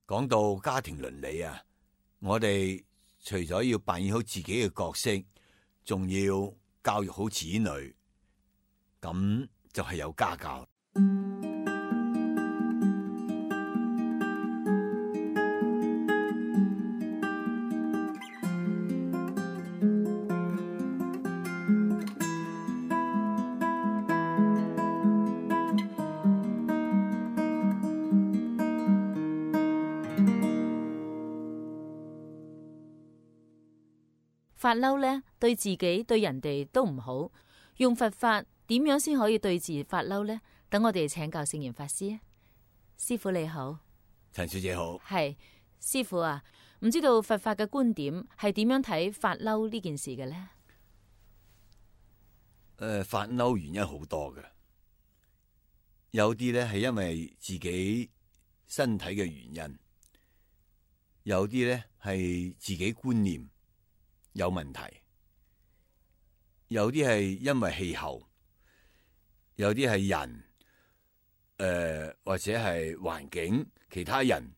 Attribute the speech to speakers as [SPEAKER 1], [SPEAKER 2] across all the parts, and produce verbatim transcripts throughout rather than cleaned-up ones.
[SPEAKER 1] 講到家庭倫理啊，我哋除咗要扮演好自己嘅角色，仲要教育好子女，咁就係有家教。
[SPEAKER 2] 發嬲呢，對自己對人哋都唔好。用佛法點樣先可以對治發嬲呢？等我哋請教聖嚴法師啊。師父你好。
[SPEAKER 1] 陳小姐好。
[SPEAKER 2] 係師父啊，唔知道佛法嘅觀點係點樣睇發嬲呢件事嘅呢？
[SPEAKER 1] 誒、呃，發嬲原因好多嘅，有啲咧係因為自己身體嘅原因，有啲咧係自己觀念有問題，有啲係因為氣候，有啲係人，誒、呃、或者係環境，其他人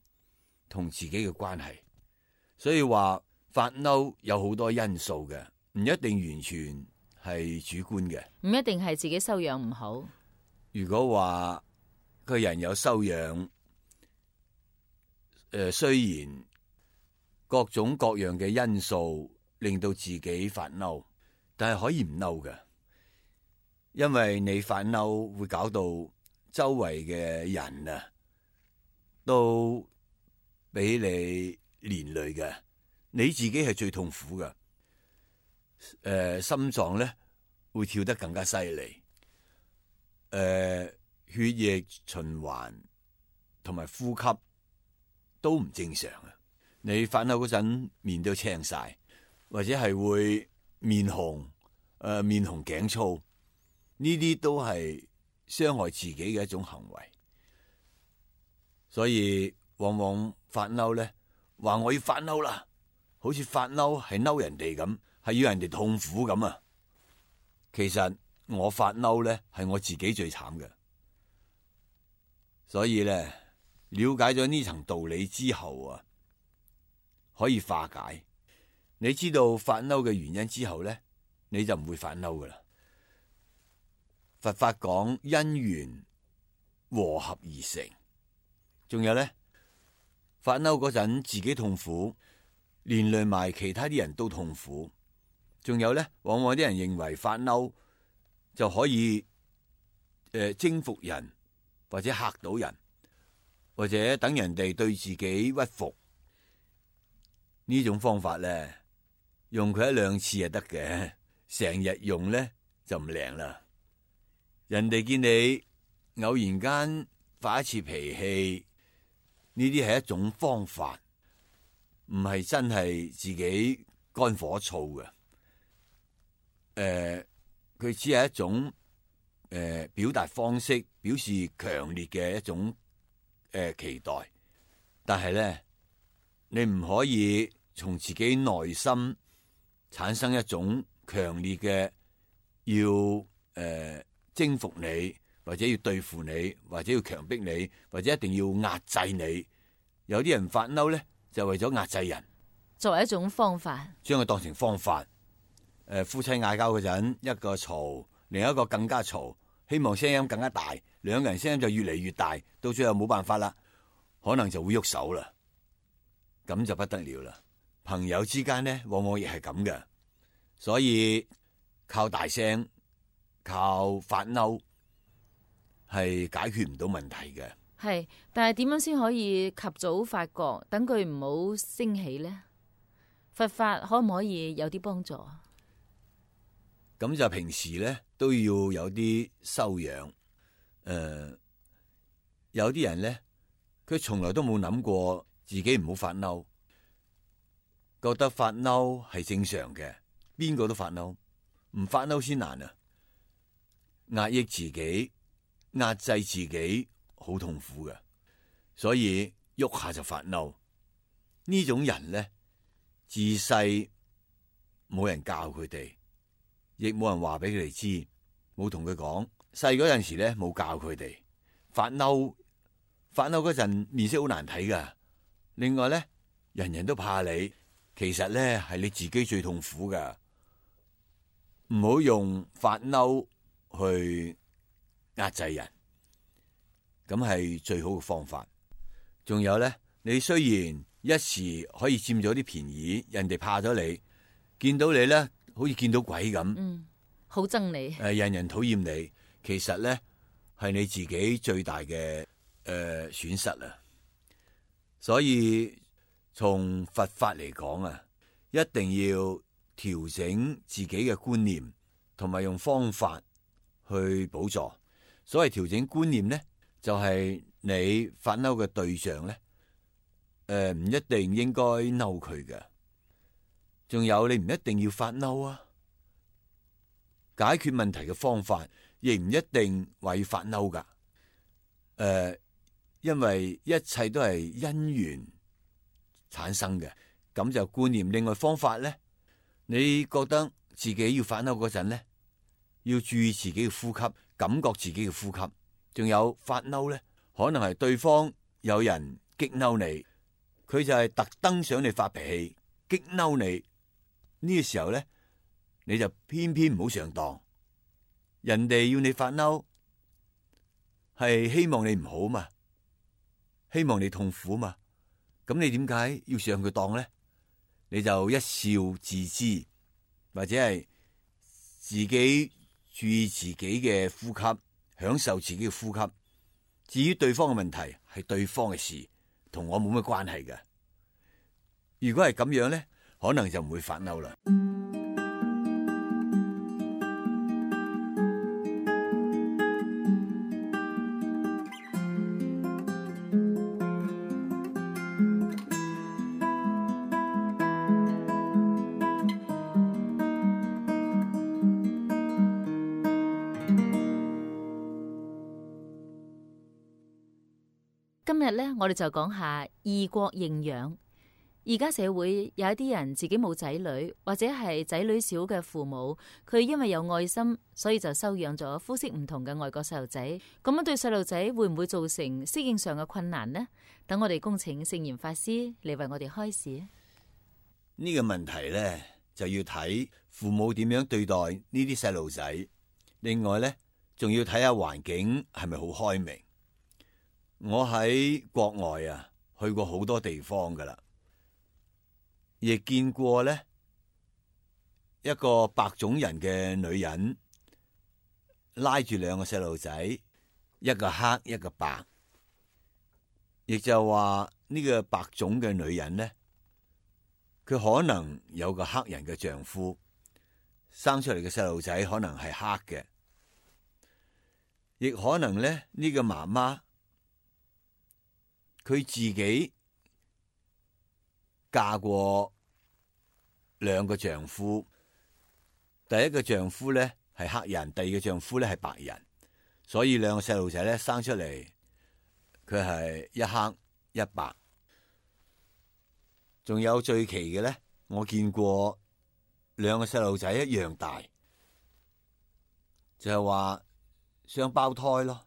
[SPEAKER 1] 同自己嘅關係，所以話發嬲有好多因素嘅，唔一定完全係主觀嘅，
[SPEAKER 2] 唔一定係自己修養唔好。
[SPEAKER 1] 如果話個人有修養，誒、呃、雖然各種各樣嘅因素令到自己發嬲，但係可以唔嬲嘅，因為你發嬲會搞到周圍嘅人啊，都俾你連累嘅，你自己係最痛苦嘅。誒、呃，心臟咧會跳得更加犀利，誒、呃，血液循環同埋呼吸都唔正常啊！你發嬲嗰陣面都青晒。或者係會面紅，誒、呃、面紅頸粗，呢啲都係傷害自己嘅一種行為。所以往往發嬲咧，話我要發嬲啦，好似發嬲係嬲人哋咁，係要人哋痛苦咁啊。其實我發嬲咧係我自己最慘嘅。所以咧，了解咗呢層道理之後啊，可以化解。你知道發嬲嘅原因之後咧，你就唔會發嬲噶啦。佛法講因緣和合而成，仲有咧，發嬲嗰陣自己痛苦，連累埋其他啲人都痛苦。仲有咧，往往啲人認為發嬲就可以誒、呃、征服人，或者嚇到人，或者等人哋對自己屈服。呢種方法咧，用佢一兩次就得嘅，成日用咧就唔靈啦。人哋見你偶然間發一次脾氣，呢啲係一種方法，唔係真係自己肝火燥嘅。誒、呃，佢只係一種誒、呃、表達方式，表示強烈嘅一種誒、呃、期待。但係咧，你唔可以從自己內心產生一種強烈嘅要誒、呃、征服你，或者要對付你，或者要強迫你，或者一定要壓制你。有啲人發嬲咧，就為咗壓制人，
[SPEAKER 2] 作為一種方法，
[SPEAKER 1] 將佢當成方法。誒、呃，夫妻嗌交嗰陣，一個嘈，另一個更加嘈，希望聲音更加大，兩個人聲音就越嚟越大，到最後冇辦法啦，可能就會喐手啦，咁就不得了啦。朋友之間咧，往往亦係咁嘅，所以靠大聲、靠發嬲係解決唔到問題嘅。
[SPEAKER 2] 係，但係點樣先可以及早發覺，等佢唔好升起呢？佛法可唔可以有啲幫助？
[SPEAKER 1] 咁就平時咧都要有啲修養。誒、呃，有啲人咧，佢從來都冇諗過自己唔好發嬲。覺得發嬲係正常嘅，邊個都發嬲，唔發嬲先難啊！壓抑自己、壓制自己，好痛苦嘅，所以喐下就發嬲。呢種人咧，自細冇人教佢哋，亦冇人話俾佢哋知，冇同佢講。細嗰陣時咧，冇教佢哋發嬲，發嬲嗰陣面色好難睇噶，另外咧，人人都怕你，其實咧係你自己最痛苦噶。唔好用發嬲去壓制人，咁係最好嘅方法。仲有咧，你雖然一時可以佔咗啲便宜，人哋怕咗你，見到你咧好似見到鬼咁，
[SPEAKER 2] 嗯，好憎你，
[SPEAKER 1] 誒，人人討厭你，其實咧係你自己最大嘅誒、呃、損失啊。所以從佛法嚟講啊，一定要調整自己嘅觀念，同埋用方法去補助。所謂調整觀念咧，就係、是、你發嬲嘅對象咧，誒、呃、唔一定應該嬲佢嘅。仲有你唔一定要發嬲啊，解決問題嘅方法亦唔一定話要發嬲噶。誒、呃，因為一切都係因緣產生嘅，咁就觀念。另外方法咧，你覺得自己要發嬲嗰陣咧，要注意自己嘅呼吸，感覺自己嘅呼吸。仲有發嬲咧，可能係對方有人激嬲你，佢就係特登想你發脾氣，激嬲你。呢個時候咧，你就偏偏唔好上當。人哋要你發嬲，係希望你唔好嘛，希望你痛苦嘛。咁你點解要上佢當咧？你就一笑自知，或者係自己注意自己嘅呼吸，享受自己嘅呼吸。至於對方嘅問題，係對方嘅事，同我冇乜關係嘅。如果係咁樣咧，可能就唔會發嬲啦。
[SPEAKER 2] 今日咧，我哋就講下異國認養。而家社會有一啲人自己冇仔女，或者係仔女少嘅父母，佢因為有愛心，所以就收養咗膚色唔同嘅外國細路仔。咁樣對細路仔會唔會造成適應上嘅困難呢？等我哋恭請聖嚴法師嚟為我哋開示。
[SPEAKER 1] 呢個問題咧，就要睇父母點樣對待呢啲細路仔。另外咧，仲要睇下環境係咪好開明。我喺國外啊，去過好多地方噶啦，亦見過咧一個白種人嘅女人拉住兩個細路仔，一個黑一個白，亦就話呢個白種嘅女人咧，佢可能有個黑人嘅丈夫，生出嚟嘅細路仔可能係黑嘅，亦可能咧呢個媽媽佢自己嫁過兩個丈夫，第一個丈夫咧係黑人，第二個丈夫咧係白人，所以兩個細路仔咧生出嚟，佢係一黑一白。仲有最奇嘅咧，我見過兩個細路仔一樣大，就係話雙胞胎咯，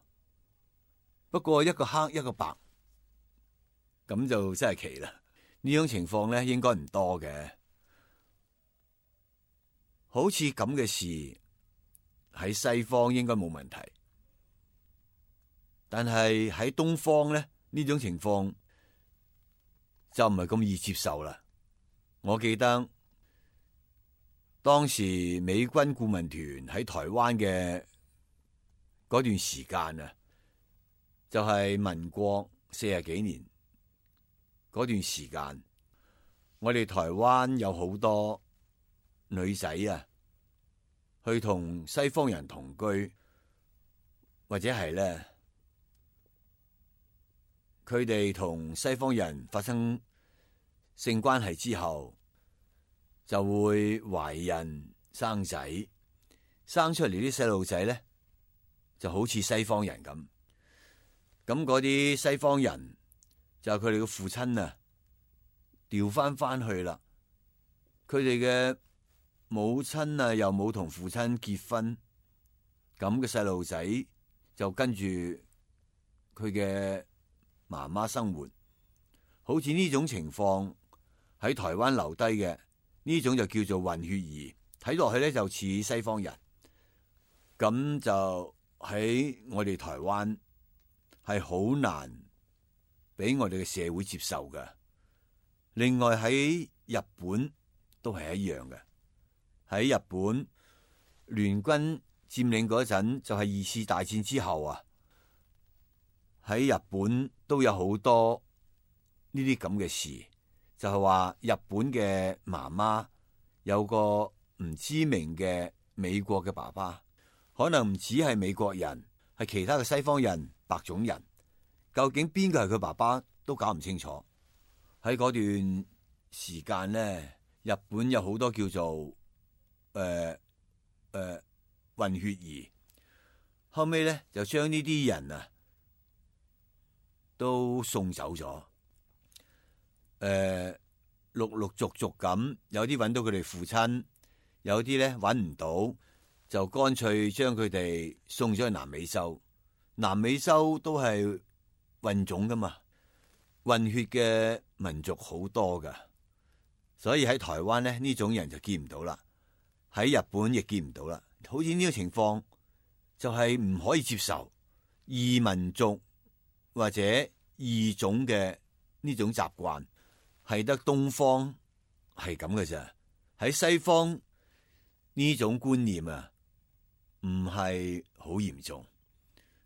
[SPEAKER 1] 不過一個黑一個白。咁就真係奇啦！呢種情況咧，應該唔多嘅。好似咁嘅事喺西方應該冇問題，但係喺東方咧，呢種情況就唔係咁易接受啦。我記得當時美軍顧問團喺台灣嘅嗰段時間啊，就係民國四十幾年。嗰段時間，我哋台灣有好多女仔啊，去同西方人同居，或者係咧，佢哋同西方人發生性關係之後，就會懷孕生仔，生出嚟啲細路仔咧，就好似西方人咁。咁嗰啲西方人，就係佢哋嘅父親啊，調翻翻去啦。佢哋嘅母親啊，又冇同父親結婚，咁嘅細路仔就跟住佢嘅媽媽生活。好似呢種情況喺台灣留低嘅呢種就叫做混血兒，睇落去咧就似西方人，咁就喺我哋台灣係好難俾我哋嘅社會接受嘅。另外喺日本都係一樣嘅，喺日本聯軍佔領嗰陣就係二次大戰之後啊，喺日本都有好多呢啲咁嘅事，就係話日本嘅媽媽有個唔知名嘅美國嘅爸爸，可能唔止係美國人，係其他嘅西方人、白種人，究竟邊個係佢爸爸都搞唔清楚。喺嗰段時間咧，日本有好多叫做誒誒、呃呃、混血兒，後尾咧就將呢啲人啊都送走咗。誒、呃，陸陸續續咁，有啲揾到佢哋父親，有啲咧揾唔到，就乾脆將佢哋送咗去南美洲。南美洲都係混種噶嘛，混血嘅民族好多噶，所以喺台灣咧呢種人就見唔到啦，喺日本亦見唔到啦。好似呢個情況就係唔可以接受異民族或者異種嘅呢種習慣，係得東方係咁嘅咋。喺西方呢種觀念啊唔係好嚴重，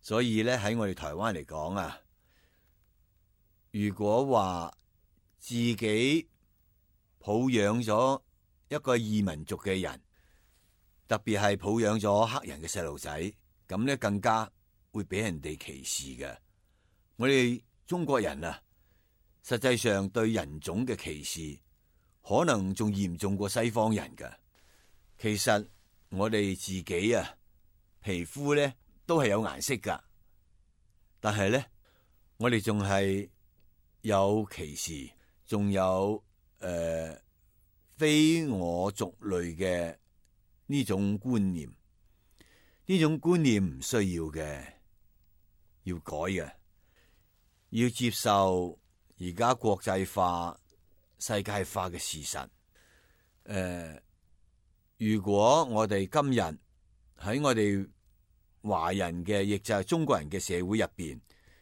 [SPEAKER 1] 所以咧喺我哋台灣嚟講啊，如果話自己抱養咗一個異民族嘅人，特別係抱養咗黑人嘅細路仔，咁咧更加會俾人哋歧視嘅。我哋中國人啊，實際上對人種嘅歧視可能仲嚴重過西方人㗎。其實我哋自己啊，皮膚咧都係有顏色㗎，但係咧我哋仲係有歧視，仲有誒、呃、非我族類嘅呢種觀念。呢種觀念唔需要嘅，要改嘅，要接受而家國際化、世界化嘅事實。誒、呃，如果我哋今日喺我哋華人嘅，亦就係中國人嘅社會入邊，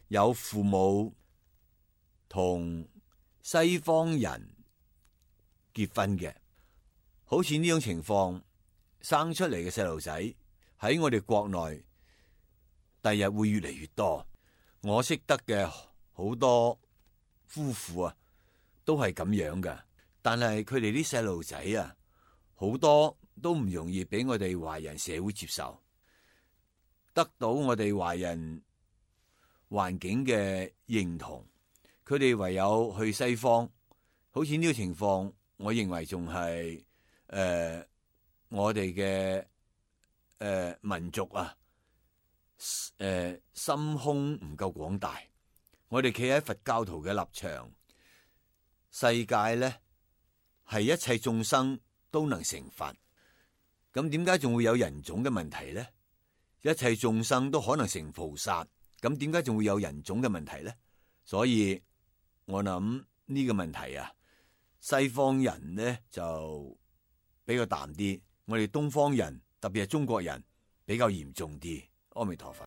[SPEAKER 1] 有父母同西方人結婚嘅，好似呢種情況，生出嚟嘅細路仔喺我哋國內，第日會越嚟越多。我識得嘅好多夫婦啊，都係咁樣㗎，但係佢哋啲細路仔啊，好多都唔容易俾我哋華人社會接受，得到我哋華人環境嘅認同，佢哋唯有去西方。好似呢個情況，我認為仲係誒我哋嘅誒民族啊，誒、呃、心胸唔夠廣大。我哋企喺佛教徒嘅立場，世界咧係一切眾生都能成佛，咁點解仲會有人種嘅問題咧？一切眾生都可能成菩薩，咁點解仲會有人種嘅問題咧？所以我諗呢個問題啊，西方人咧就比較淡啲，我哋東方人特別係中國人比較嚴重啲。阿彌陀佛。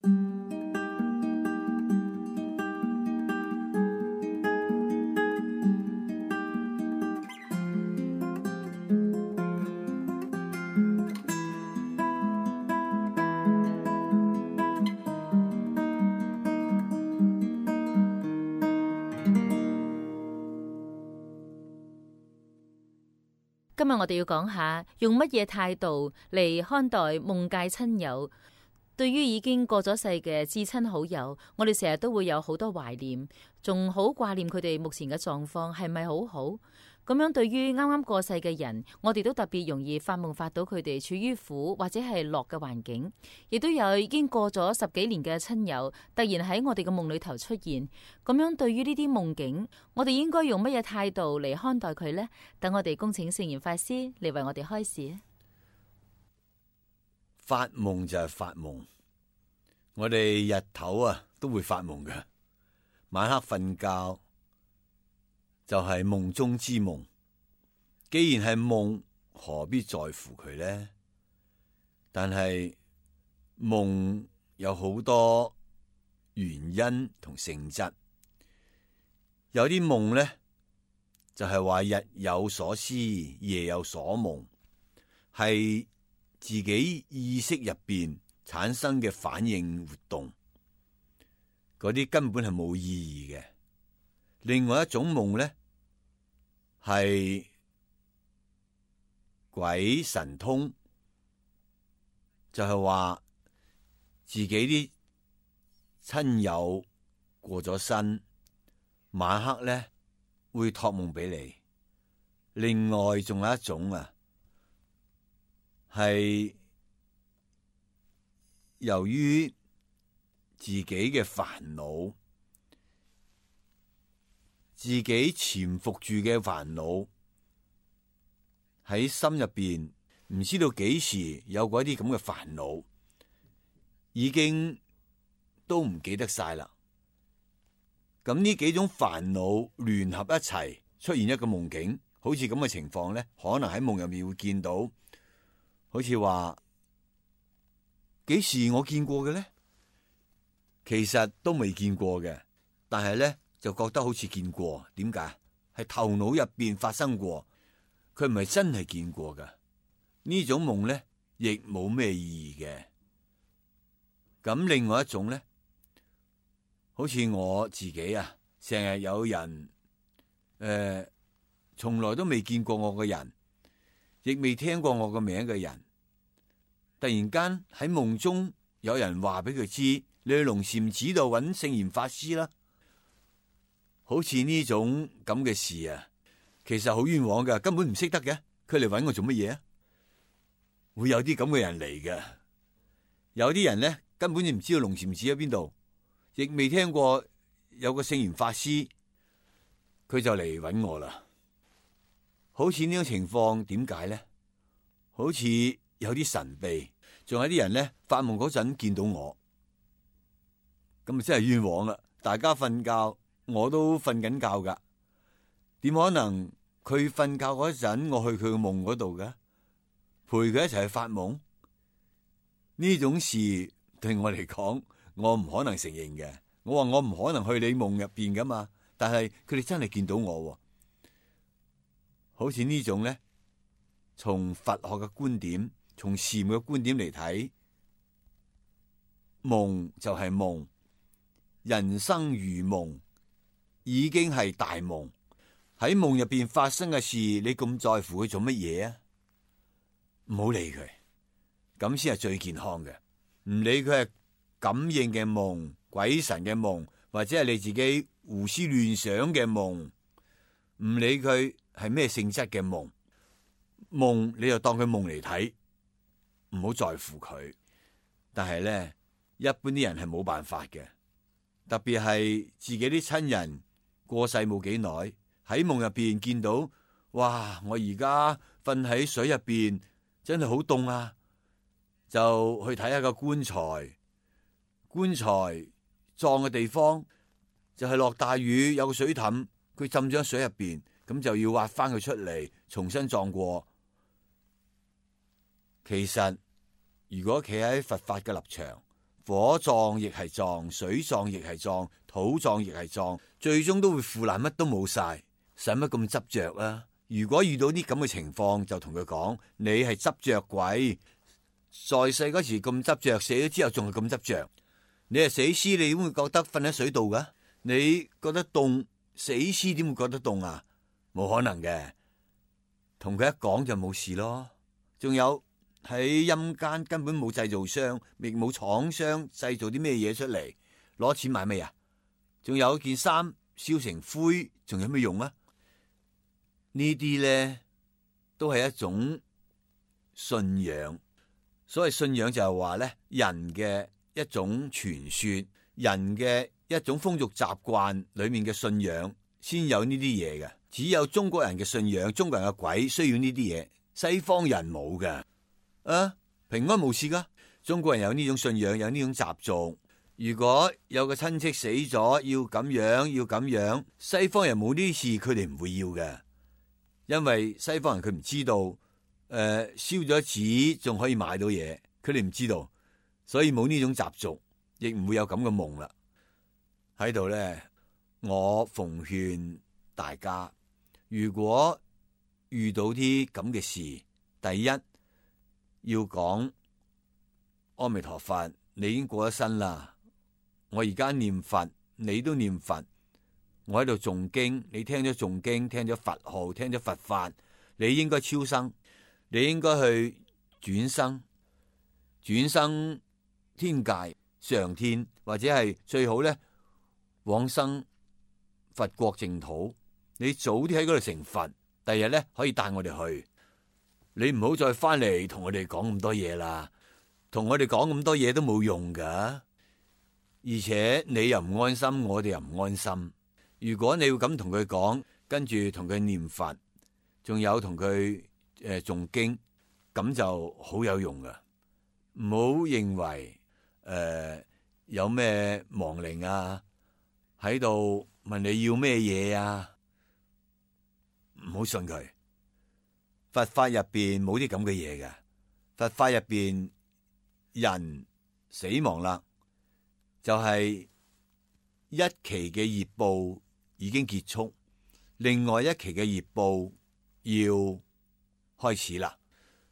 [SPEAKER 2] 今日我哋要講下用乜嘢態度嚟看待夢界親友。對於已經過咗世嘅至親好友，我哋成日都會有好多懷念，仲好掛念佢哋目前嘅狀況係咪好好？咁樣對於啱啱過世嘅人，我哋都特別容易發夢發到佢哋處於苦或者係樂嘅環境，亦都有已經過咗十幾年嘅親友突然喺我哋嘅夢裏頭出現。咁樣對於呢啲夢境，我哋應該用乜嘢態度嚟看待佢呢？等我哋恭請聖嚴法師嚟為我哋開示。
[SPEAKER 1] 發夢就係發夢，我哋日頭啊都會發夢嘅，晚黑瞓覺就係夢中之夢。既然係夢，何必在乎佢呢？但係夢有好多原因同性質，有啲夢呢，就係話日有所思，夜有所夢，係自己意識入邊產生嘅反應活動，嗰啲根本係冇意義嘅。另外一種夢呢，係鬼神通，就係話自己啲親友過咗身，晚黑咧會託夢俾你。另外仲有一種啊，係由於自己嘅煩惱，自己潛伏住嘅煩惱喺心入邊，唔知道幾時有嗰啲咁嘅煩惱，已經都唔記得晒啦。咁呢幾種煩惱聯合一齊出現一個夢境，好似咁嘅情況咧，可能喺夢入面會見到，好似話幾時我見過嘅咧？其實都未見過嘅，但係咧就覺得好似見過。點解？係頭腦入邊發生過，佢唔係真係見過噶。呢種夢咧亦冇咩意義嘅。咁另外一種咧，好似我自己啊，成日有人誒，從來都未見過我嘅人，亦未聽過我個名嘅人，突然間喺夢中有人話俾佢知，你去龍禪寺度揾聖嚴法師啦。好似呢種咁嘅事啊，其實好冤枉噶，根本唔識得嘅，佢嚟揾我做乜嘢啊？會有啲咁嘅人嚟嘅。有啲人咧根本就唔知道龍禪寺喺邊度，亦未聽過有個聖嚴法師，佢就嚟揾我啦。好似呢種情況，點解咧？好似有啲神秘，仲有啲人咧發夢嗰陣見到我，咁啊真係冤枉啦！大家瞓覺，我都瞓緊覺噶，點可能佢瞓覺嗰陣我去佢嘅夢嗰度嘅，陪佢一齊去發夢？呢種事對我嚟講，我唔可能承認嘅。我話我唔可能去你夢入邊噶嘛，但係佢哋真係見到我，好似呢種咧，從佛學嘅觀點，從禪嘅觀點嚟睇，夢就係夢，人生如夢，已經係大夢。喺夢入邊發生嘅事，你咁在乎佢做乜嘢啊？唔好理佢，咁先係最健康嘅。唔理佢係感應嘅夢、鬼神嘅夢，或者係你自己胡思亂想嘅夢，唔理佢係咩性質嘅夢，夢你就當佢夢嚟睇，唔好在乎佢。但係咧，一般啲人係冇辦法嘅，特別係自己啲親人過世冇幾耐，喺夢入邊見到，哇！我而家瞓喺水入邊，真係好凍啊！就去睇下個棺材，棺材葬嘅地方就係落大雨，有個水凼，佢浸咗喺水入邊，咁就要挖翻佢出嚟，重新葬過。其實如果企喺佛法嘅立場，火葬亦係葬，水葬亦係葬，土葬亦係葬，最終都會腐爛，乜都冇晒，使乜咁執着啊？如果遇到啲咁嘅情況，就同佢講：你係執着鬼。在世嗰時咁執着，死咗之後仲係咁執着。你係死屍，你點會覺得瞓喺水度噶？你覺得凍，死屍點會覺得凍啊？冇可能嘅。同佢一講就冇事咯。仲有喺陰間根本冇製造商，亦冇廠商製造啲咩嘢出嚟，攞錢買咩啊？仲有件衫燒成灰，仲有咩用啊？呢啲咧都係一種信仰。所謂信仰就係話咧，人嘅一種傳說，人嘅一種風俗習慣裏面嘅信仰，先有呢啲嘢嘅。只有中國人嘅信仰，中國人嘅鬼需要呢啲嘢，西方人冇嘅。啊，平安無事噶。中國人有呢種信仰，有呢種習俗，如果有個親戚死咗，要咁樣要咁樣，西方人冇呢啲事，佢哋唔會要嘅，因為西方人佢唔知道，誒、呃、燒咗紙仲可以買到嘢，佢哋唔知道，所以冇呢種習俗，亦唔會有咁嘅夢啦。喺度咧，我奉勸大家，如果遇到啲咁嘅事，第一要講阿彌陀佛，你已經過咗身啦。我而家念佛，你都念佛，我喺度誦經，你聽咗誦經，聽咗佛號，聽咗佛法，你應該超生，你應該去轉生，轉生天界、上天，或者係最好咧往生佛國淨土。你早啲喺嗰度成佛，第日咧可以帶我哋去。你唔好再翻嚟同我哋講咁多嘢啦，同我哋講咁多嘢都冇用噶。而且你又唔安心，我哋又唔安心。如果你要咁同佢講，跟住同佢念佛，仲有同佢誒誦經，咁就好有用噶。唔好認為誒、呃、有咩亡靈啊喺度問你要咩嘢啊，唔好信佢。佛法入邊冇啲咁嘅嘢嘅，佛法入邊人死亡啦，就係一期嘅業報已經結束，另外一期嘅業報要開始啦。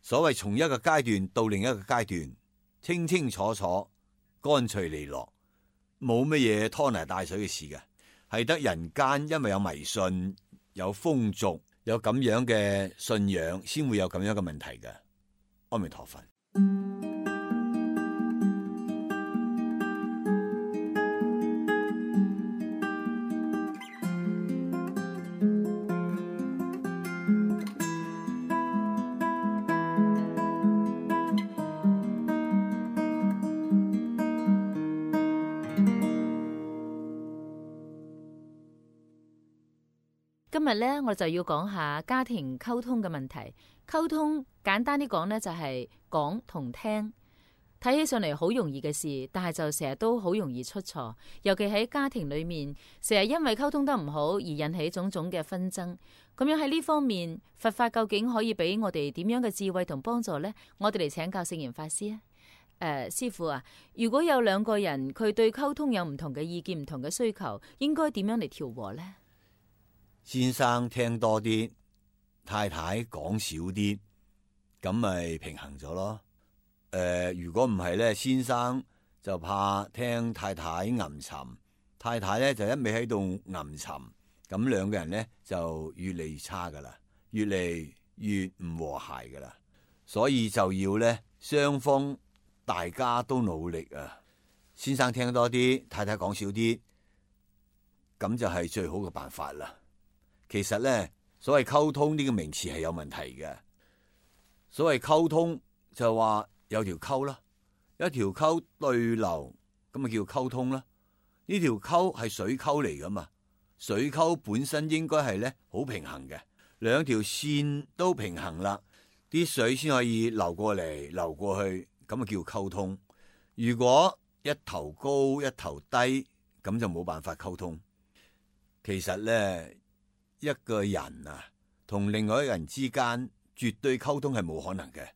[SPEAKER 1] 所謂從一個階段到另一個階段，清清楚楚、乾脆利落，冇乜嘢拖泥帶水嘅事嘅，係得人間因為有迷信、有風俗、有咁樣嘅信仰，先會有咁樣嘅問題嘅。阿彌陀佛。
[SPEAKER 2] 今日咧，我就要講下家庭溝通嘅問題。溝通簡單啲講咧，就係講同聽。睇起上嚟好容易嘅事，但係就成日都好容易出錯。尤其喺家庭裏面，成日因為溝通得唔好而引起種種嘅紛爭。咁樣喺呢方面，佛法究竟可以俾我哋點樣嘅智慧同幫助呢？我哋嚟請教聖嚴法師啊。誒、呃，師父啊，如果有兩個人佢對溝通有唔同嘅意見、唔同嘅需求，應該點樣嚟調和呢？
[SPEAKER 1] 先生聽多啲，太太講少啲，咁咪平衡咗咯。誒、呃，如果唔係咧，先生就怕聽太太吟沉，太太咧就一味喺度吟沉，咁兩個人咧就越嚟越差噶啦，越嚟越唔和諧噶啦。所以就要咧雙方大家都努力啊。先生聽多啲，太太講少啲，咁就係最好嘅辦法啦。其實咧，所謂溝通呢個名詞係有問題嘅。所謂溝通就話有條溝啦，一條溝對流，咁咪叫溝通啦。呢條溝係水溝嚟噶嘛，水溝本身應該係咧好平衡嘅，兩條線都平衡啦，啲水先可以流過嚟流過去，咁啊叫溝通。如果一頭高一頭低，咁就冇辦法溝通。其實咧，一個人啊，同另外一個人之間絕對溝通係冇可能嘅，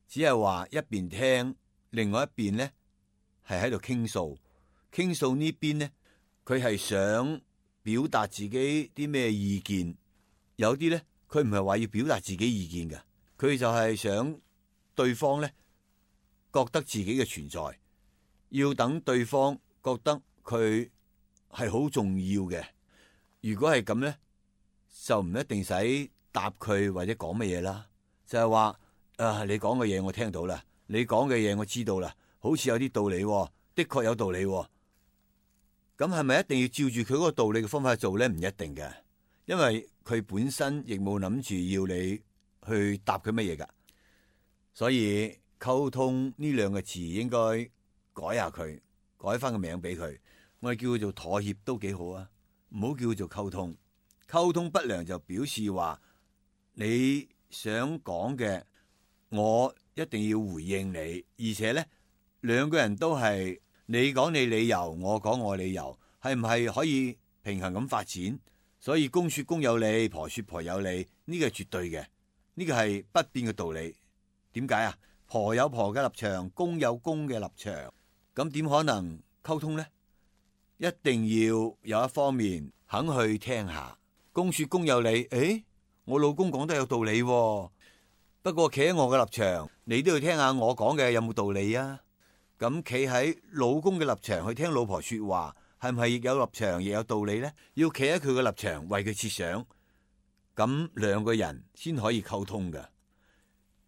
[SPEAKER 1] 只係話一邊聽，另外一邊咧係喺度傾訴。傾訴呢邊咧，佢係想表達自己啲咩意見，有啲咧佢唔係話要表達自己意見嘅，佢就係想對方咧覺得自己嘅存在，要等對方覺得佢係好重要嘅。如果係咁咧，就唔一定使答佢或者講乜嘢啦，就係話啊，你講嘅嘢我聽到啦，你講嘅嘢我知道啦，好似有啲道理喎，的確有道理喎。咁係咪一定要照住佢嗰個道理嘅方法去做咧？唔一定嘅，因為佢本身亦冇諗住要你去答佢乜嘢噶。所以溝通呢兩個字應該改下佢，改翻個名俾佢，我哋叫佢做妥協都幾好啊，唔好叫佢做溝通。溝通不良就表示話你想講嘅，我一定要回應你，而且咧兩個人都係你講你理由，我講我理由，係唔係可以平衡咁發展？所以公說公有理，婆說婆有理，呢個係絕對嘅，呢個係不變嘅道理。點解啊？婆有婆嘅立場，公有公嘅立場，咁點可能溝通呢？一定要有一方面肯去聽下。公說公有理，誒，我老公講得有道理喎，不過企喺我嘅立場，你都要聽下我講嘅有冇道理啊？咁企喺老公嘅立場去聽老婆說話，係唔係亦有立場亦有道理呢？要企喺佢嘅立場為佢設想，咁兩個人先可以溝通㗎。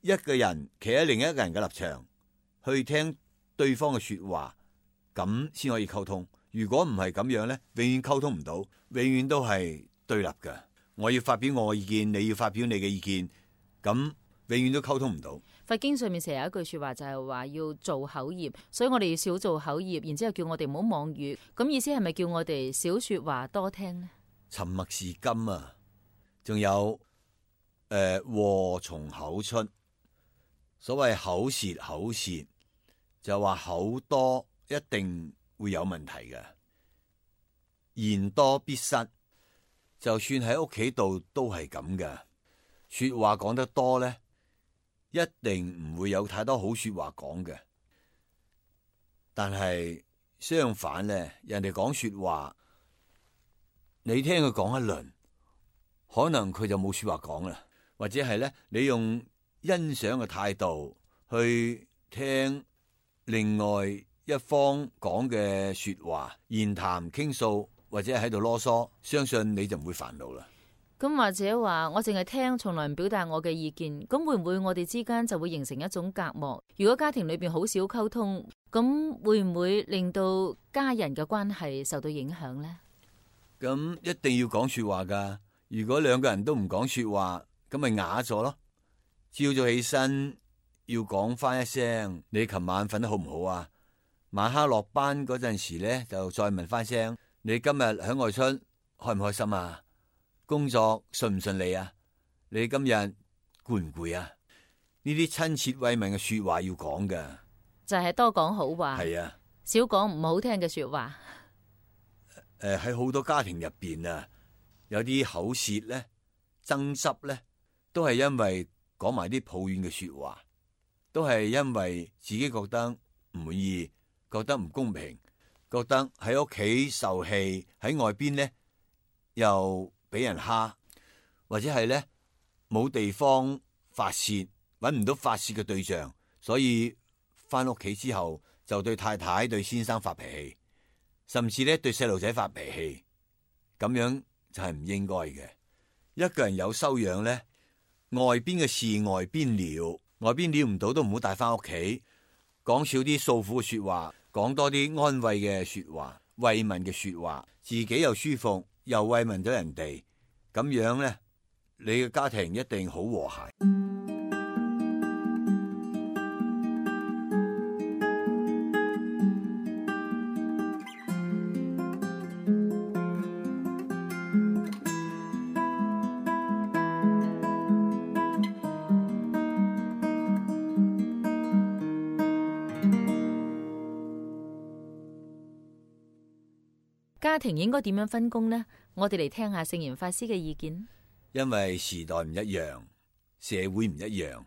[SPEAKER 1] 一個人企喺另一個人嘅立場去聽對方嘅說話，咁先可以溝通。如果唔係咁樣呢，永遠溝通唔到，永遠都係對立㗎。我要發表我嘅意見，你要發表你嘅意見，咁永遠都溝通唔到。
[SPEAKER 2] 佛經上面成日有一句說話就係話要做口業，所以我哋要少做口業，然之後叫我哋唔好妄語。咁意思係咪叫我哋少說話多聽呢？
[SPEAKER 1] 沉默是金啊！仲有誒，禍從口出。所謂口舌口舌，就話口多一定會有問題嘅，言多必失。就算喺屋企度都係咁嘅，說話講得多咧，一定唔會有太多好說話講嘅。但係相反咧，人哋講說話，你聽佢講一輪，可能佢就冇說話講啦，或者係咧，你用欣賞嘅態度去聽另外一方講嘅說話，言談傾訴，或者喺度囉嗦，相信你就唔會煩惱啦。
[SPEAKER 2] 咁或者話我淨係聽，從來唔表達我嘅意見，咁會唔會我哋之間就會形成一種隔膜？如果家庭裏邊好少溝通，咁會唔會令到家人嘅關係受到影響呢？
[SPEAKER 1] 咁一定要講說話噶。如果兩個人都唔講說話，咁咪啞咗咯。朝早起身要講翻一聲，你琴晚瞓得好唔好啊？晚黑落班嗰陣時咧，就再問翻聲，你今日響外出開唔開心啊？工作順唔順利啊？你今日攰唔攰啊？呢啲親切慰問嘅說話要講噶，
[SPEAKER 2] 就係多講好話，
[SPEAKER 1] 係啊，
[SPEAKER 2] 少講唔好聽嘅說話。
[SPEAKER 1] 誒，喺好多家庭入邊啊，有啲口舌咧、爭執咧，都係因為講埋啲抱怨嘅說話，都係因為自己覺得唔滿意，覺得唔公平，覺得喺屋企受氣，喺外邊咧又俾人蝦，或者係咧冇地方發洩，搵唔到發洩嘅對象，所以翻屋企之後就對太太、對先生發脾氣，甚至咧對細路仔發脾氣，咁樣就係唔應該嘅。一個人有修養咧，外邊嘅事外邊了，外邊了唔到都唔好帶翻屋企，講少啲訴苦嘅說話，講多啲安慰嘅說話、慰問嘅說話，自己又舒服，又慰問咗人哋，咁樣咧，你嘅家庭一定好和諧。
[SPEAKER 2] 家庭應該點樣分工呢？我哋嚟聽下聖嚴法師嘅意見。
[SPEAKER 1] 因為時代唔一樣，社會唔一樣，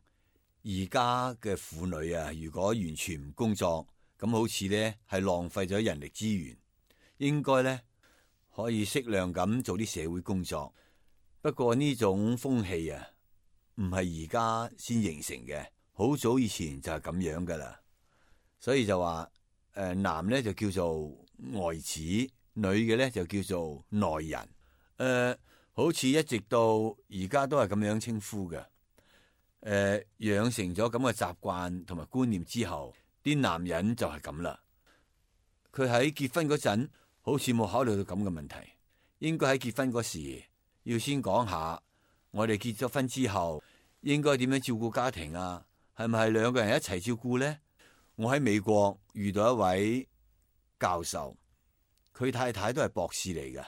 [SPEAKER 1] 而家嘅婦女啊，如果完全唔工作，咁好似咧係浪費咗人力資源。應該咧可以適量咁做啲社會工作。不過呢種風氣啊，唔係而家先形成嘅，好早以前就係咁樣噶啦。所以就話誒、呃，男咧就叫做外子，女嘅咧就叫做內人。誒、呃，好似一直到而家都係咁樣稱呼嘅。誒、呃，養成咗咁嘅習慣同埋觀念之後，啲男人就係咁啦。佢喺結婚嗰陣，好似冇考慮到咁嘅問題。應該喺結婚嗰時，要先講下我哋結咗婚之後應該點樣照顧家庭啊？係咪係兩個人一齊照顧呢？我喺美國遇到一位教授，佢太太都係博士嚟嘅，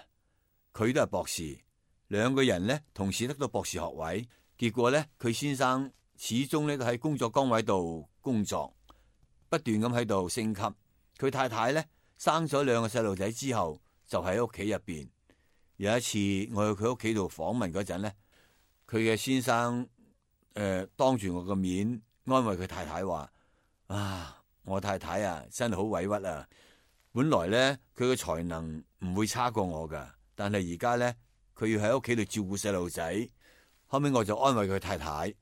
[SPEAKER 1] 佢都係博士，兩個人咧同時得到博士學位。結果咧，佢先生始終咧都喺工作崗位度工作，不斷咁喺度升級。佢佢太太咧生咗兩個細路仔之後，就喺屋企入邊。有一次我去佢屋企度訪問嗰陣咧，佢嘅先生誒、呃、當住我個面安慰佢太太話：啊，我太太啊，真係好委屈啊！本來咧佢嘅才能唔會差過我噶，但係而家咧佢要喺屋企度照顧細路仔。後尾我就安慰佢太太，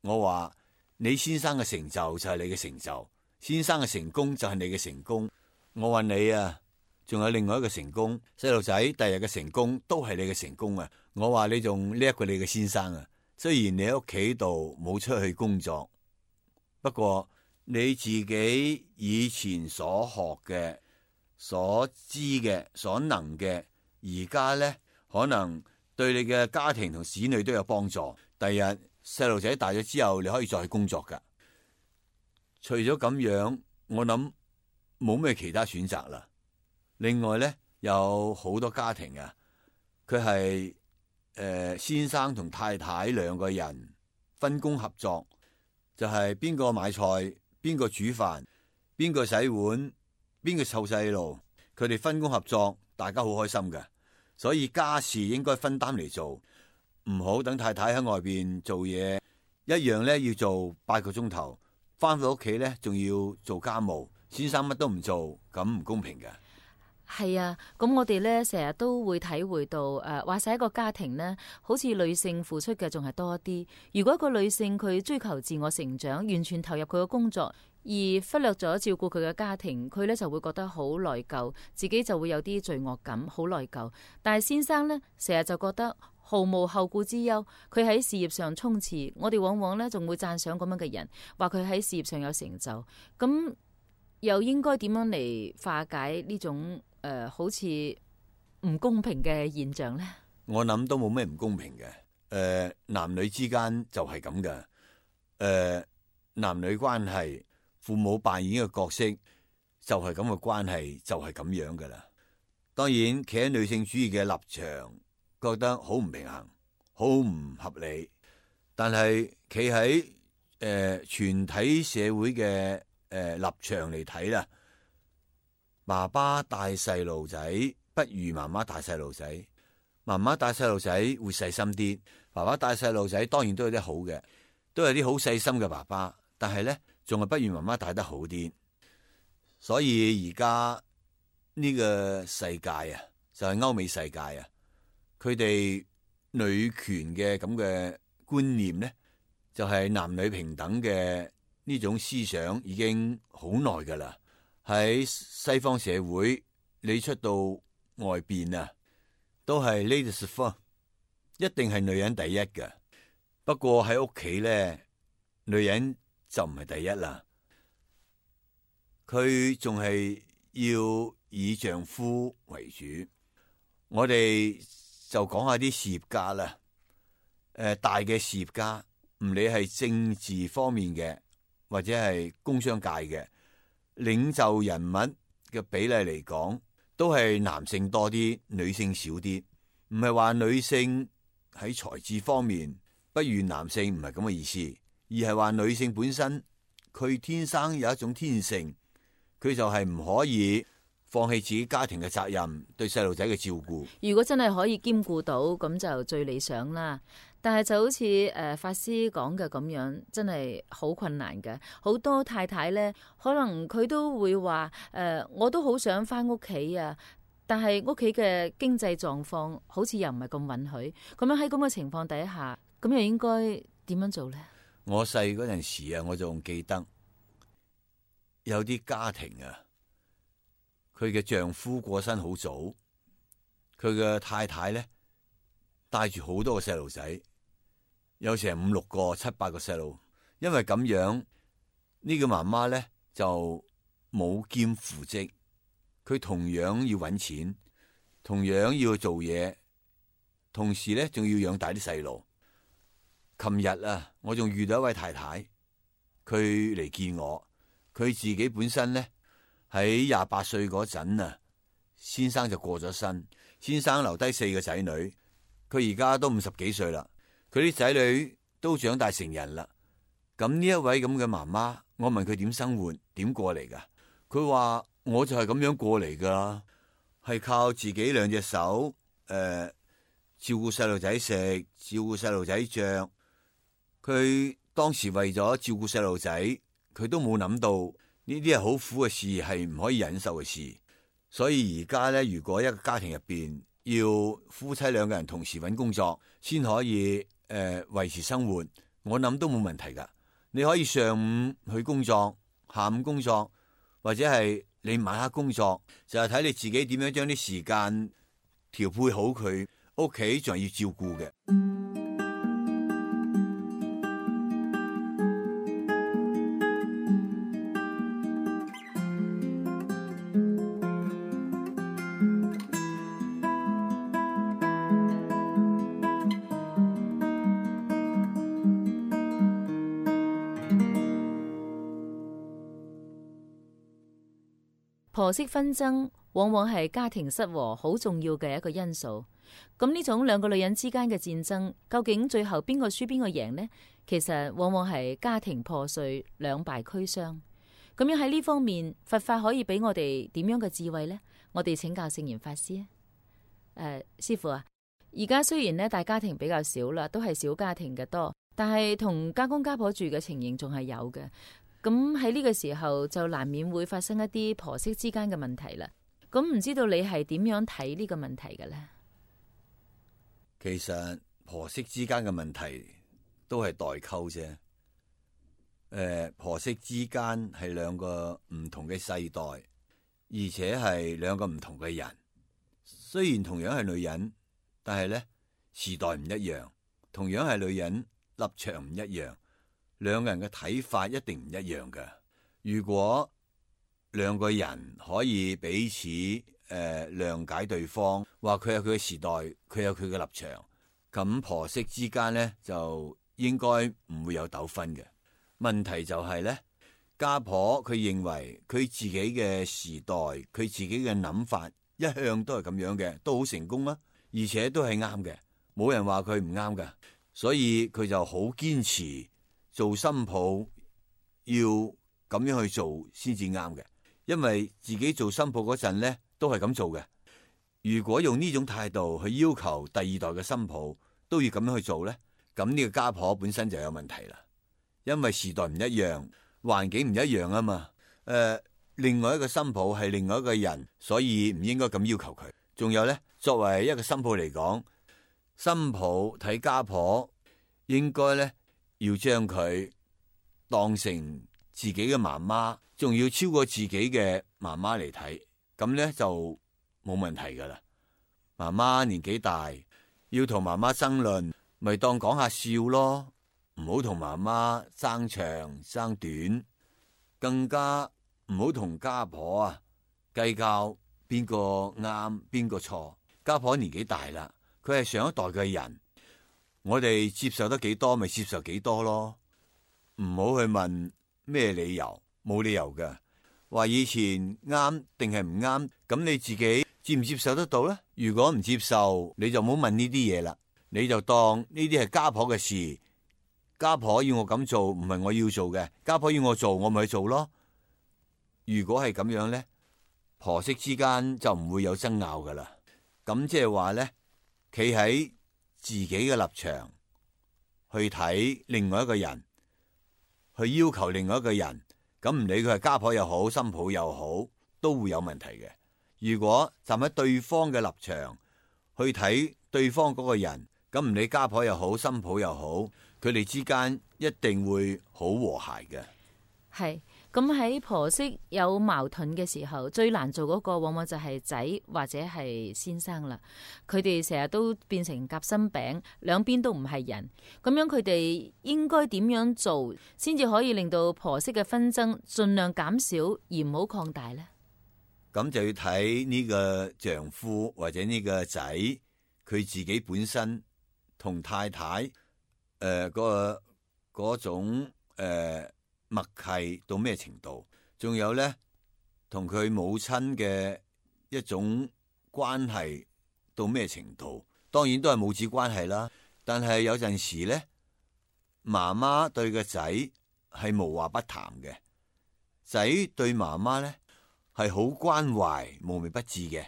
[SPEAKER 1] 我話：你先生嘅成就就係你嘅成就，先生嘅成功就係你嘅成功。我話你啊，仲有另外一個成功，細路仔第日嘅成功都係你嘅成功啊！我話你仲叻過你嘅先生啊！雖然你喺屋企度冇出去工作，不過你自己以前所學嘅、所知嘅、所能嘅，而家咧可能對你嘅家庭同子女都有幫助。第日細路仔大咗之後，你可以再去工作噶。除咗咁樣，我諗冇咩其他選擇啦。另外咧，有好多家庭啊，佢係誒先生同太太兩個人分工合作，就係邊個買菜，邊個煮飯，邊個洗碗，邊個湊細路，佢哋分工合作，大家好開心嘅。所以家事應該分擔嚟做，唔好等太太喺外邊做嘢，一樣咧要做八個鐘頭，翻到屋企咧仲要做家務，先生乜都唔做，咁唔公平嘅。
[SPEAKER 2] 係啊，咁我哋咧成日都會體會到，誒、呃，話晒一個家庭呢，好似女性付出嘅仲係多啲。如果一個女性佢追求自我成長，完全投入佢嘅工作，而忽略咗照顧佢嘅家庭，佢咧就會覺得好內疚，自己就會有啲罪惡感，好內疚。但係先生呢，成日就覺得毫無後顧之憂，佢喺事業上衝刺。我哋往往咧仲會讚賞咁樣嘅人，話佢喺事業上有成就。咁又應該點樣嚟化解呢種誒、呃，好似唔公平嘅現象咧？
[SPEAKER 1] 我諗都冇咩唔公平嘅。誒、呃，男女之間就係咁嘅。誒、呃，男女關係，父母扮演嘅角色就係咁嘅關係，就係咁樣噶啦。當然，企喺女性主義嘅立場，覺得好唔平衡，好唔合理。但係企喺誒全體社會嘅誒、呃、立場嚟睇啦。爸爸帶細路仔不如媽媽帶細路仔，媽媽帶細路仔會細心啲，爸爸帶細路仔當然都有啲好嘅，都有啲好細心嘅爸爸，但係咧仲係不如媽媽帶得好啲。所以而家呢個世界啊，就係歐美世界啊，佢哋女權嘅咁嘅觀念咧，就係男女平等嘅呢種思想已經好耐噶啦。喺西方社會，你出到外邊啊，都係 ladies first，一定係女人第一嘅。不過喺屋企咧，女人就唔係第一啦。佢仲係要以丈夫為主。我哋就講下啲事業家啦。誒、呃，大嘅事業家，唔理係政治方面嘅，或者係工商界嘅。領袖人物嘅比例嚟講，都係男性多啲，女性少啲。唔係話女性喺才智方面不如男性，唔係咁嘅意思，而係話女性本身佢天生有一種天性，佢就係唔可以放棄自己家庭嘅責任，對細路仔嘅照顧。
[SPEAKER 2] 如果真係可以兼顧到，咁就最理想啦。但係就好似誒、呃、法師講嘅咁樣，真係好困難嘅。好多太太咧，可能佢都會話誒、呃，我都好想翻屋企啊，但係屋企嘅經濟狀況好似又唔係咁允許。咁樣喺咁嘅情況底下，咁又應該點樣做咧？
[SPEAKER 1] 我細嗰陣時啊，我仲記得有啲家庭啊，佢嘅丈夫過身好早，佢嘅太太咧帶住好多個細路仔。有成五六個、七八個細路，因為咁樣呢個媽媽咧就冇兼父職，佢同樣要搵錢，同樣要做嘢，同時咧仲要養大啲細路。琴日啊，我仲遇到一位太太，佢嚟見我，佢自己本身咧喺廿八歲嗰陣啊，先生就過咗身，先生留低四個仔女，佢而家都五十幾歲啦。佢啲仔女都長大成人啦，咁呢一位咁嘅媽媽，我問佢點生活，點過嚟噶？佢話我就係咁樣過嚟噶，係靠自己兩隻手，誒、呃，照顧細路仔食，照顧細路仔着。佢當時為咗照顧細路仔，佢都冇諗到呢啲係好苦嘅事，係唔可以忍受嘅事。所以而家咧，如果一個家庭入邊要夫妻兩個人同時搵工作，先可以誒、呃、維持生活，我諗都冇問題噶。你可以上午去工作，下午工作，或者係你晚黑工作，就係、是、睇你自己點樣將啲時間調配好佢。屋企仲係要照顧嘅。
[SPEAKER 2] 婆媳紛爭往往係家庭失和好重要嘅一個因素。咁呢種兩個女人之間嘅戰爭，究竟最後邊個輸邊個贏呢？其實往往係家庭破碎，兩敗俱傷。咁樣喺呢方面，佛法可以俾我哋點樣嘅智慧呢？我哋請教聖嚴法師啊。誒、呃，師父啊，而家雖然呢大家庭比較少啦，都係小家庭嘅多，但係同家公家婆住嘅情形仲係有嘅。咁喺呢個時候就難免會發生一啲婆媳之間嘅問題啦。咁唔知道你係點樣睇呢個問題嘅呢？
[SPEAKER 1] 其實婆媳之間嘅問題都係代溝啫。誒、呃，婆媳之間係兩個唔同嘅世代，而且係兩個唔同嘅人。雖然同樣係女人，但係咧時代唔一樣，同樣係女人，立場唔一樣。兩個人嘅睇法一定唔一樣嘅。如果兩個人可以彼此誒、呃、諒解對方，話佢有佢嘅時代，佢有佢嘅立場，咁婆媳之間咧就應該唔會有糾紛嘅。問題就係咧，家婆佢認為佢自己嘅時代，佢自己嘅諗法一向都係咁樣嘅，都好成功啊，而且都係啱嘅，冇人話佢唔啱㗎，所以佢就好堅持。做新抱要咁樣去做先至啱嘅，因為自己做新抱嗰陣咧都係咁做嘅。如果用呢種態度去要求第二代嘅新抱都要咁樣去做咧，咁呢個家婆本身就有問題啦。因為時代唔一樣，環境唔一樣啊嘛。誒、呃，另外一個新抱係另外一個人，所以唔應該咁要求佢。仲有咧，作為一個新抱嚟講，新抱睇家婆應該咧。要將佢當成自己嘅媽媽，仲要超過自己嘅媽媽嚟睇，咁咧就冇問題噶啦。媽媽年紀大，要同媽媽爭論，咪當講下笑咯，唔好同媽媽爭長爭短，更加唔好同家婆啊計較邊個啱邊個錯。家婆年紀大啦，佢係上一代嘅人。我哋接受得幾多咪接受幾多咯，唔好去問咩理由，冇理由嘅。話以前啱定係唔啱，咁你自己接唔接受得到咧？如果唔接受，你就唔好問呢啲嘢啦，你就當呢啲係家婆嘅事。家婆要我咁做，唔係我要做嘅，家婆要我做，我咪去做咯。如果係咁樣咧，婆媳之間就唔會有爭拗噶啦。咁即係話咧，企喺自己嘅立場去睇另外一個人，去要求另外一個人，咁唔理佢係家婆又好，新抱又好，都會有問題嘅。如果站喺對方嘅立場去睇對方嗰個人，咁唔理家婆又好，新抱又好，佢哋之間一定會好和諧嘅。
[SPEAKER 2] 係。咁喺婆媳有矛盾嘅時候，最難做嗰個往往就係仔或者係先生啦。佢哋成日都變成夾心餅，兩邊都唔係人。咁樣佢哋應該點樣做，先至可以令到婆媳嘅紛爭盡量減少，而唔好擴大呢？
[SPEAKER 1] 咁就要睇呢個丈夫或者呢個仔，佢自己本身同太太誒嗰、呃嗰個嗰種誒。呃默契到咩程度？仲有咧，同佢母親嘅一種關係到咩程度？當然都係母子關係啦。但係有陣時咧，媽媽對個仔係無話不談嘅，仔對媽媽咧係好關懷無微不至嘅，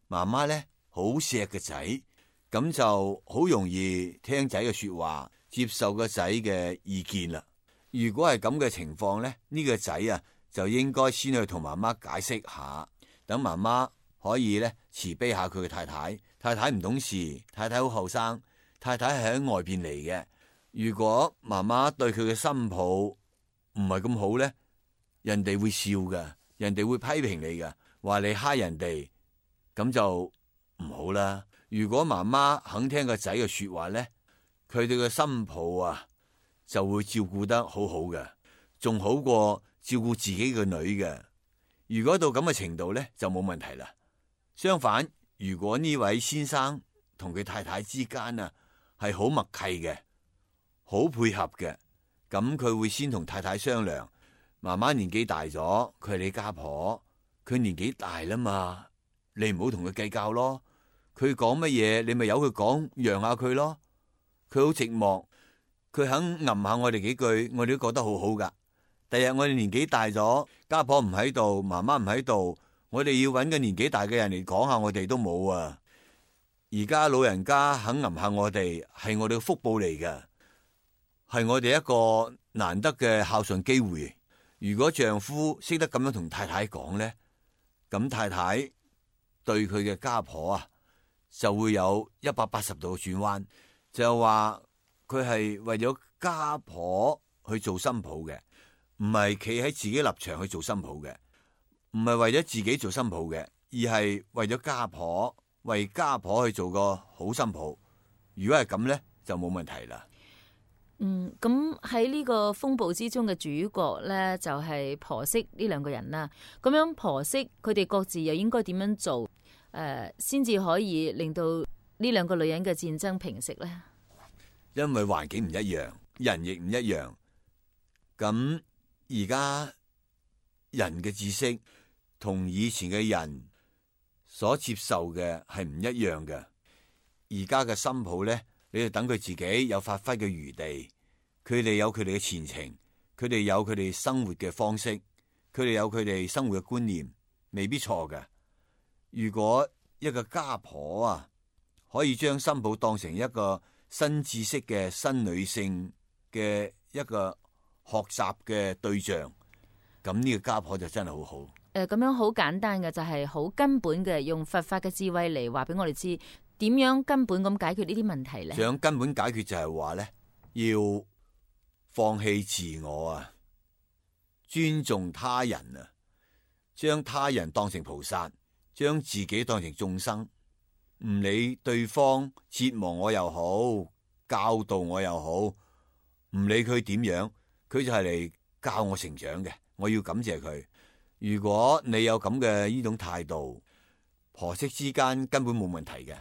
[SPEAKER 1] 媽媽咧好錫個仔，咁就好容易聽仔嘅說話，接受個仔嘅意見啦。如果係咁嘅情況咧，呢個仔啊就應該先去同媽媽解釋下，等媽媽可以咧慈悲下佢嘅太太。太太唔懂事，太太好後生，太太係喺外邊嚟嘅。如果媽媽對佢嘅新抱唔係咁好咧，人哋會笑㗎，人哋會批評你㗎，話你蝦人哋，咁就唔好啦。如果媽媽肯聽個仔嘅說話咧，佢哋嘅新抱啊就會照顧得好好嘅，仲好過照顧自己嘅女嘅。如果到咁嘅程度咧，就冇問題啦。相反，如果呢位先生同佢太太之間啊係好默契嘅，好配合嘅，咁佢會先同太太商量。媽媽年紀大咗，佢係你家婆，佢年紀大啦嘛，你唔好同佢計較咯。佢講乜嘢，你咪由佢講，讓下佢咯。佢好寂寞，佢肯吟下我哋幾句，我哋都覺得好好噶。第日我哋年紀大咗，家婆唔喺度，媽媽唔喺度，我哋要搵個年紀大嘅人嚟講下我哋都冇啊。而家老人家肯吟下我哋，係我哋嘅福報嚟嘅，係我哋一個難得嘅孝順機會。如果丈夫識得咁樣同太太講咧，咁太太對佢嘅家婆啊就會有一百八十度轉彎，就話佢係為咗家婆去做新抱嘅，唔係企喺自己立場去做新抱嘅，唔係為咗自己做新抱嘅，而係為咗家婆，為家婆去做個好新抱。如果係咁咧，就冇問題啦。
[SPEAKER 2] 嗯，咁喺呢個風暴之中嘅主角咧，就係婆媳呢兩個人啦。咁樣婆媳佢哋各自又應該點樣做，誒，先至可以令到呢兩個女人嘅戰爭平息咧？
[SPEAKER 1] 因為環境唔一樣，人亦唔一樣。咁而家人嘅知識同以前嘅人所接受嘅係唔一樣嘅。而家嘅新抱咧，你就等佢自己有發揮嘅餘地，佢哋有佢哋嘅前程，佢哋有佢哋生活嘅方式，佢哋有佢哋生活嘅觀念，未必錯嘅。如果一個家婆啊，可以將新抱當成一個新知識嘅新女性嘅一個學習嘅對象，咁呢個家婆就真係好好。
[SPEAKER 2] 誒，咁樣好簡單嘅，就係好根本嘅，用佛法嘅智慧嚟話俾我哋知。點樣根本咁解決呢啲問題咧？想
[SPEAKER 1] 根本解決就係話咧，要放棄自我啊，尊重他人啊，將他人當成菩薩，將自己當成眾生，唔理對方折磨我又好，教導我又好，唔理佢點樣，佢就係嚟教我成長嘅。我要感謝佢。如果你有咁嘅呢種態度，婆媳之間根本冇問題嘅。